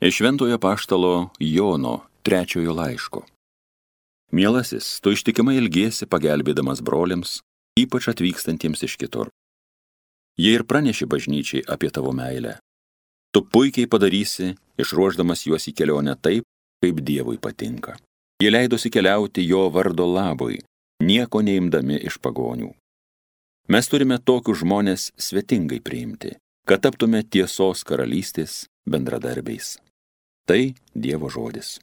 Iš Šventojo apaštalo Jono 3 laiško. Mielasis, tu ištikimai ilgiesi pagelbėdamas broliams, ypač atvykstantiems iš kitur. Jie ir praneši bažnyčiai apie tavo meilę. Tu puikiai padarysi, išruošdamas juos į kelionę taip, kaip Dievui patinka. Jie leidosi keliauti jo vardo labui, nieko neimdami iš pagonių. Mes turime tokius žmonės svetingai priimti, kad taptume tiesos karalystės bendradarbiais. Tai Dievo žodis.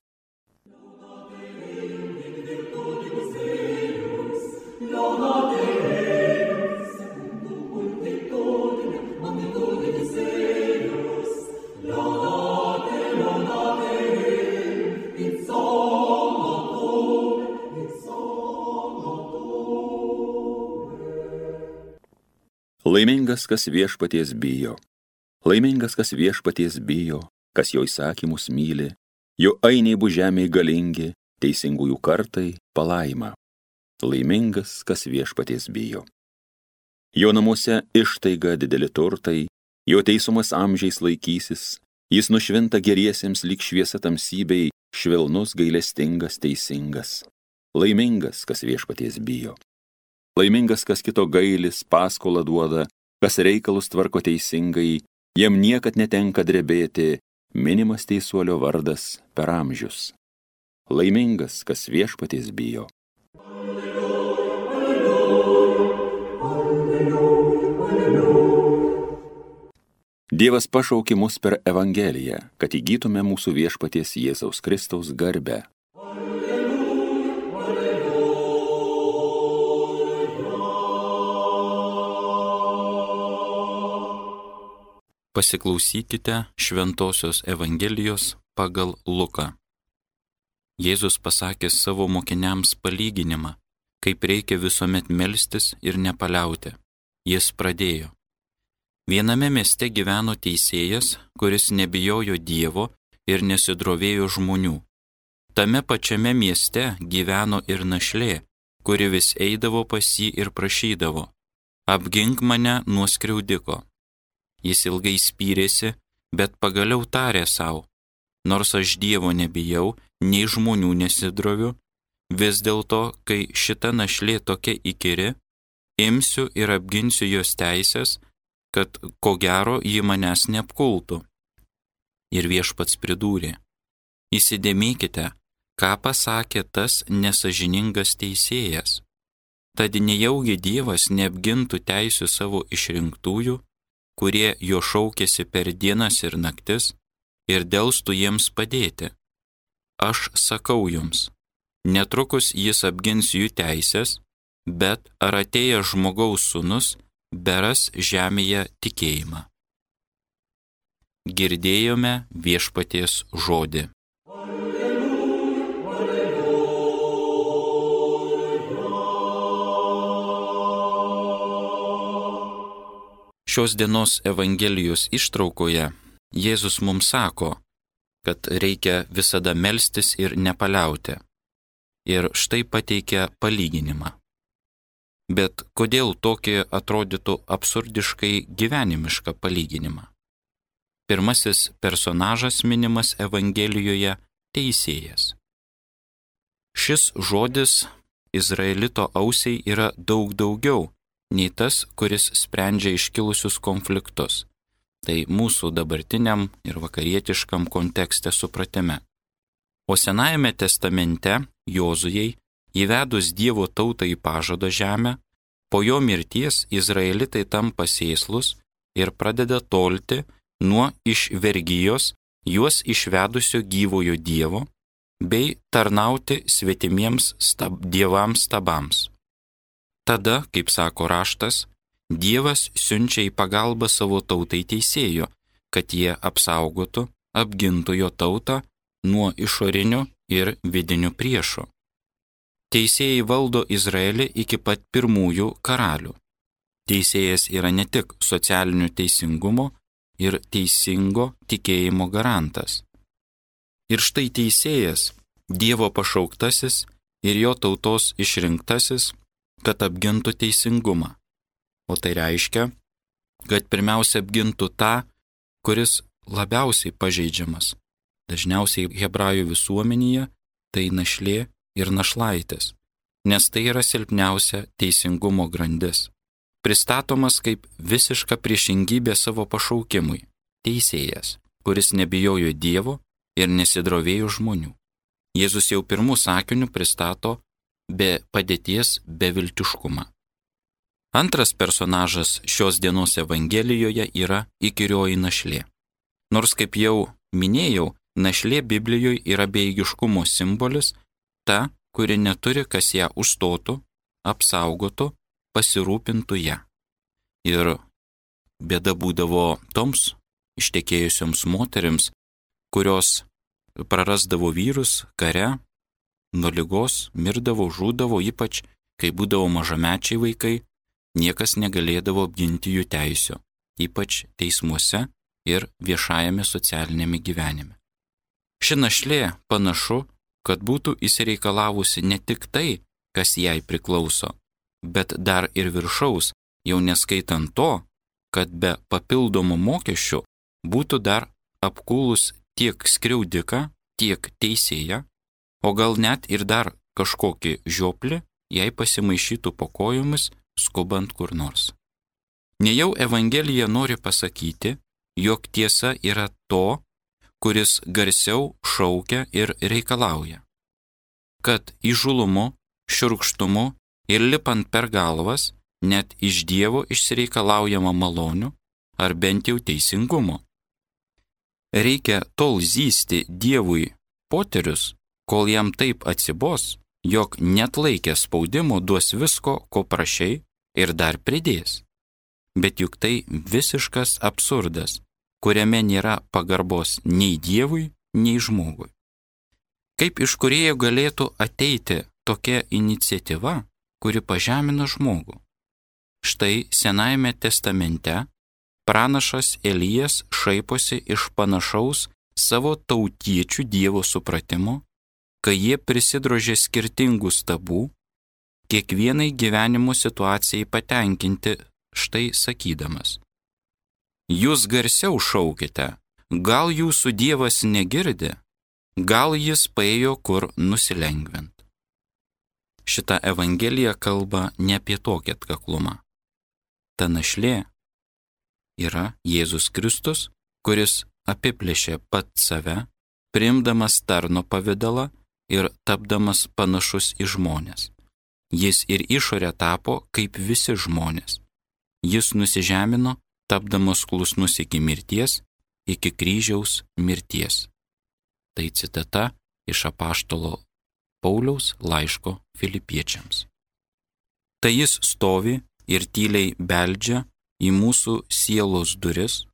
Laimingas, kas viešpaties bijo. Laimingas, kas viešpaties bijo, kas jo įsakymus myli, jo ainiai bus žemėje galingi, teisingųjų kartai palaima. Laimingas, kas viešpaties bijo. Jo namuose ištaiga dideli turtai, jo teisumas amžiais laikysis, jis nušvinta geriesiems lyg šviesa tamsybei, švelnus, gailestingas, teisingas. Laimingas, kas viešpaties bijo. Laimingas, kas kito gailis, paskolą duoda, kas reikalus tvarko teisingai, jam niekad netenka drebėti, minimas teisuolio vardas per amžius. Laimingas, kas viešpaties bijo. Dievas pašaukė mus per Evangeliją, kad įgytume mūsų viešpaties Jėzaus Kristaus garbę. Pasiklausykite Šventosios Evangelijos pagal Luką. Jėzus pasakė savo mokiniams palyginimą, kaip reikia visuomet melstis ir nepaliauti. Jis pradėjo. Viename mieste gyveno teisėjas, kuris nebijojo Dievo ir nesidrovėjo žmonių. Tame pačiame mieste gyveno ir našlė, kuri vis eidavo pas jį ir prašydavo: apgink mane nuo skriaudiko. Jis ilgai spyrėsi, bet pagaliau tarė sau: nors aš Dievo nebijau, nei žmonių nesidroviu, vis dėlto, kai šita našlė tokia įkyri, imsiu ir apginsiu jos teisės, kad ko gero ji manęs neapkultų. Ir viešpats pridūrė: įsidėmėkite, ką pasakė tas nesažiningas teisėjas. Tad nejaugi Dievas neapgintų teisių savo išrinktųjų, kurie jo šaukėsi per dienas ir naktis, ir delstų jiems padėti. Aš sakau jums, netrukus jis apgins jų teisės, bet ar atėjęs žmogaus sūnus beras žemėje tikėjimą. Girdėjome viešpaties žodį. Šios dienos Evangelijos ištraukoje Jėzus mums sako, kad reikia visada melstis ir nepaliauti. Ir štai pateikia palyginimą. Bet kodėl tokį atrodytų absurdiškai gyvenimišką palyginimą? Pirmasis personažas minimas Evangelijoje – teisėjas. Šis žodis Izraelito ausiai yra daug daugiau nei tas, kuris sprendžia iškilusius konfliktus. Tai mūsų dabartiniam ir vakarietiškam kontekste supratime. O Senajame testamente Jozujai, įvedus Dievo tautą į pažado žemę, po jo mirties izraelitai tampa sėslus ir pradeda tolti nuo iš vergijos juos išvedusio gyvojo Dievo bei tarnauti svetimiems dievams stabams. Tada, kaip sako raštas, Dievas siunčia į pagalbą savo tautai teisėjo, kad jie apsaugotų, apgintų jo tautą nuo išorinių ir vidinių priešų. Teisėjai valdo Izraelį iki pat pirmųjų karalių. Teisėjas yra ne tik socialinių teisingumo ir teisingo tikėjimo garantas. Ir štai teisėjas, Dievo pašauktasis ir jo tautos išrinktasis, kad apgintų teisingumą. O tai reiškia, kad pirmiausia apgintų tą, kuris labiausiai pažeidžiamas, Dažniausiai hebrajų visuomenėje tai našlė ir našlaitės, nes tai yra silpniausia teisingumo grandis. Pristatomas kaip visiška priešingybė savo pašaukimui – teisėjas, kuris nebijojo Dievo ir nesidrovėjo žmonių. Jėzus jau pirmų sakinių pristato be padėties beviltiškumą. Antras personažas šios dienos Evangelijoje yra įkyrioji našlė. Nors, kaip jau minėjau, našlė Biblijoje yra bejėgiškumo simbolis, ta, kuri neturi, kas ją užstotų, apsaugotų, pasirūpintų ją. Ir bėda būdavo toms ištekėjusioms moterims, kurios prarasdavo vyrus kare, nuo ligos, mirdavo, žūdavo, ypač kai būdavo mažamečiai vaikai, niekas negalėdavo apginti jų teisių, ypač teismuose ir viešajame socialinėme gyvenime. Ši našlė panašu, kad būtų įsireikalavusi ne tik tai, kas jai priklauso, bet dar ir viršaus, jau neskaitant to, kad be papildomų mokesčių būtų dar apkūlus tiek skriaudiką, tiek teisėją, o gal net ir dar kažkokį žioplį, jei pasimaišytų po kojomis, skubant kur nors. Nejau Evangelija nori pasakyti, jog tiesa yra to, kuris garsiau šaukia ir reikalauja. Kad įžulumu, šiurkštumu ir lipant per galvas net iš Dievo išsireikalaujama malonių ar bent jau teisingumo. Reikia tol zysti Dievui poterius, kol jam taip atsibos, jog net laikę spaudimo duos visko, ko prašei ir dar pridės. Bet juk tai visiškas absurdas, kuriame nėra pagarbos nei Dievui, nei žmogui. Kaip iš kūrėjo galėtų ateiti tokia iniciatyva, kuri pažemina žmogų? Štai Senajame testamente pranašas Elijas šaiposi iš panašaus savo tautiečių Dievo supratimo, kai jie prisidrožė skirtingų stabų, kiekvienai gyvenimo situacijai patenkinti, štai sakydamas: Jūs garsiau šaukite, gal jūsų Dievas negirdi, gal jis paėjo kur nusilengvint. Šita Evangelija kalba ne apie tokį atkaklumą. Ta našlė yra Jėzus Kristus, kuris apiplėšė pats save, priimdamas tarno pavidalą ir tapdamas panašus į žmones. Jis ir išorė tapo kaip visi žmonės. Jis nusižemino, tapdamas klusnus iki mirties, iki kryžiaus mirties. Tai citata iš apaštalo Pauliaus laiško Filipiečiams. Tai jis stovi ir tyliai beldžia į mūsų sielos duris,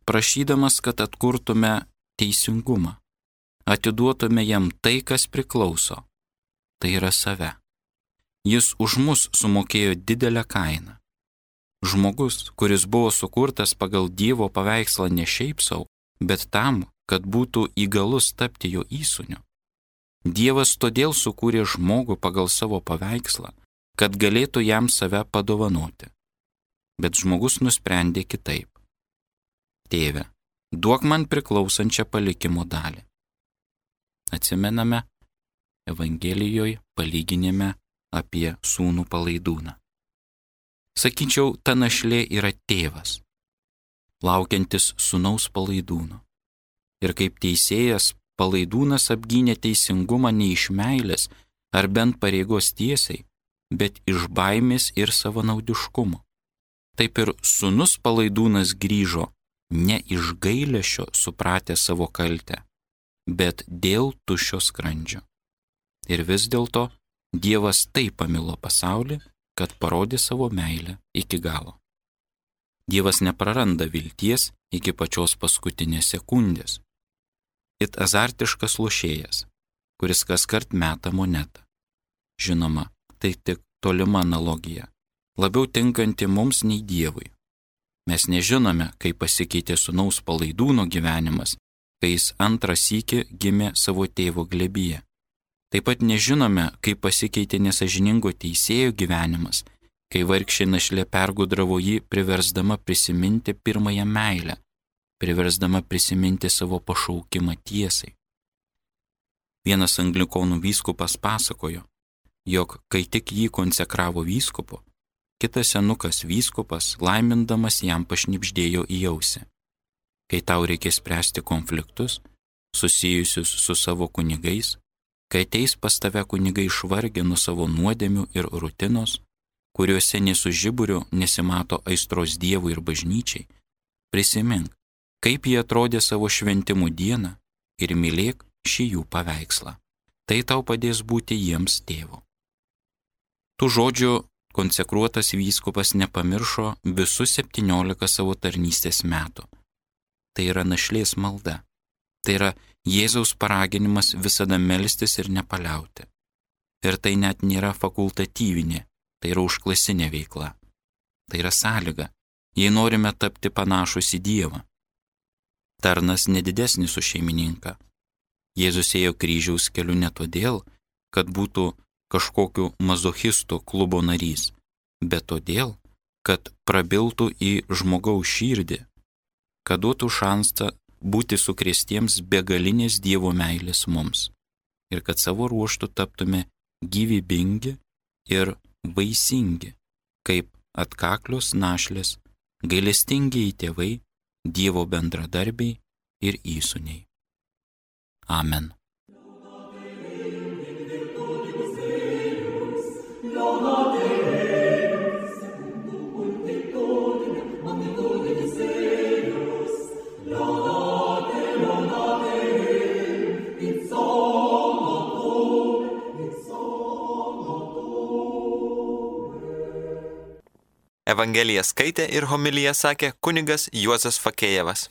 prašydamas, kad atkurtume teisingumą, atiduotume jam tai, kas priklauso, tai yra save. Jis už mus sumokėjo didelę kainą. Žmogus, kuris buvo sukurtas pagal Dievo paveikslą ne šiaip sau, bet tam, kad būtų įgalus tapti jo įsūniu. Dievas todėl sukūrė žmogų pagal savo paveikslą, kad galėtų jam save padovanoti. Bet žmogus nusprendė kitaip. Tėve, duok man priklausančią palikimo dalį. Atsimename Evangelijoje palyginime apie sūnų palaidūną. Sakyčiau, ta našlė yra tėvas, laukiantis sūnaus palaidūno. Ir kaip teisėjas, palaidūnas apgynė teisingumą ne iš meilės ar bent pareigos tiesiai, bet iš baimės ir savanaudiškumo. Taip ir sūnus palaidūnas grįžo ne iš gailesčio supratę savo kaltę, bet dėl tuščio skrandžio. Ir vis dėlto Dievas taip pamilo pasaulį, kad parodė savo meilę iki galo. Dievas nepraranda vilties iki pačios paskutinės sekundės. It azartiškas lošėjas, kuris kaskart meta monetą. Žinoma, tai tik tolima analogija, labiau tinkanti mums nei Dievui. Mes nežinome, kaip pasikeitė sūnaus palaidūno gyvenimas, kai jis antrą sykį gimė savo tėvo glėbyje. Taip pat nežinome, kaip pasikeitė nesažiningo teisėjo gyvenimas, kai vargšė našlė pergudravo jį, priversdama prisiminti pirmąją meilę, priversdama prisiminti savo pašaukimą tiesai. Vienas anglikonų vyskupas pasakojo, jog kai tik jį konsekravo vyskupu, kitas senukas vyskupas laimindamas jam pašnibždėjo į ausį: kai tau reikės spręsti konfliktus susijusius su savo kunigais, kai ateis pas tave kunigai išvargę nuo savo nuodėmių ir rutinos, kuriuose nė su žiburiu nesimato aistros Dievui ir bažnyčiai, prisimink, kaip jie atrodė savo šventimų dieną ir mylėk šį jų paveikslą. Tai tau padės būti jiems tėvu. Tų žodžių konsekruotas vyskupas nepamiršo visus 17 savo tarnystės metų. Tai yra našlės malda. Tai yra Jėzaus paraginimas visada melstis ir nepaliauti. Ir tai net nėra fakultatyvinė, tai yra užklasinė veikla. Tai yra sąlyga, jei norime tapti panašus į Dievą. Tarnas nedidesnis už šeimininką. Jėzus ėjo kryžiaus keliu ne todėl, kad būtų kažkokiu mazochisto klubo narys, bet todėl, kad prabiltų į žmogaus širdį, kad duotų šansą būti sukrėstiems begalinės Dievo meilės mums ir kad savo ruožtu taptume gyvybingi ir vaisingi, kaip atkaklios našlės, gailestingieji tėvai, Dievo bendradarbiai ir įsūniai. Amen. Evangeliją skaitė ir homiliją sakė kunigas Juozas Fakėjevas.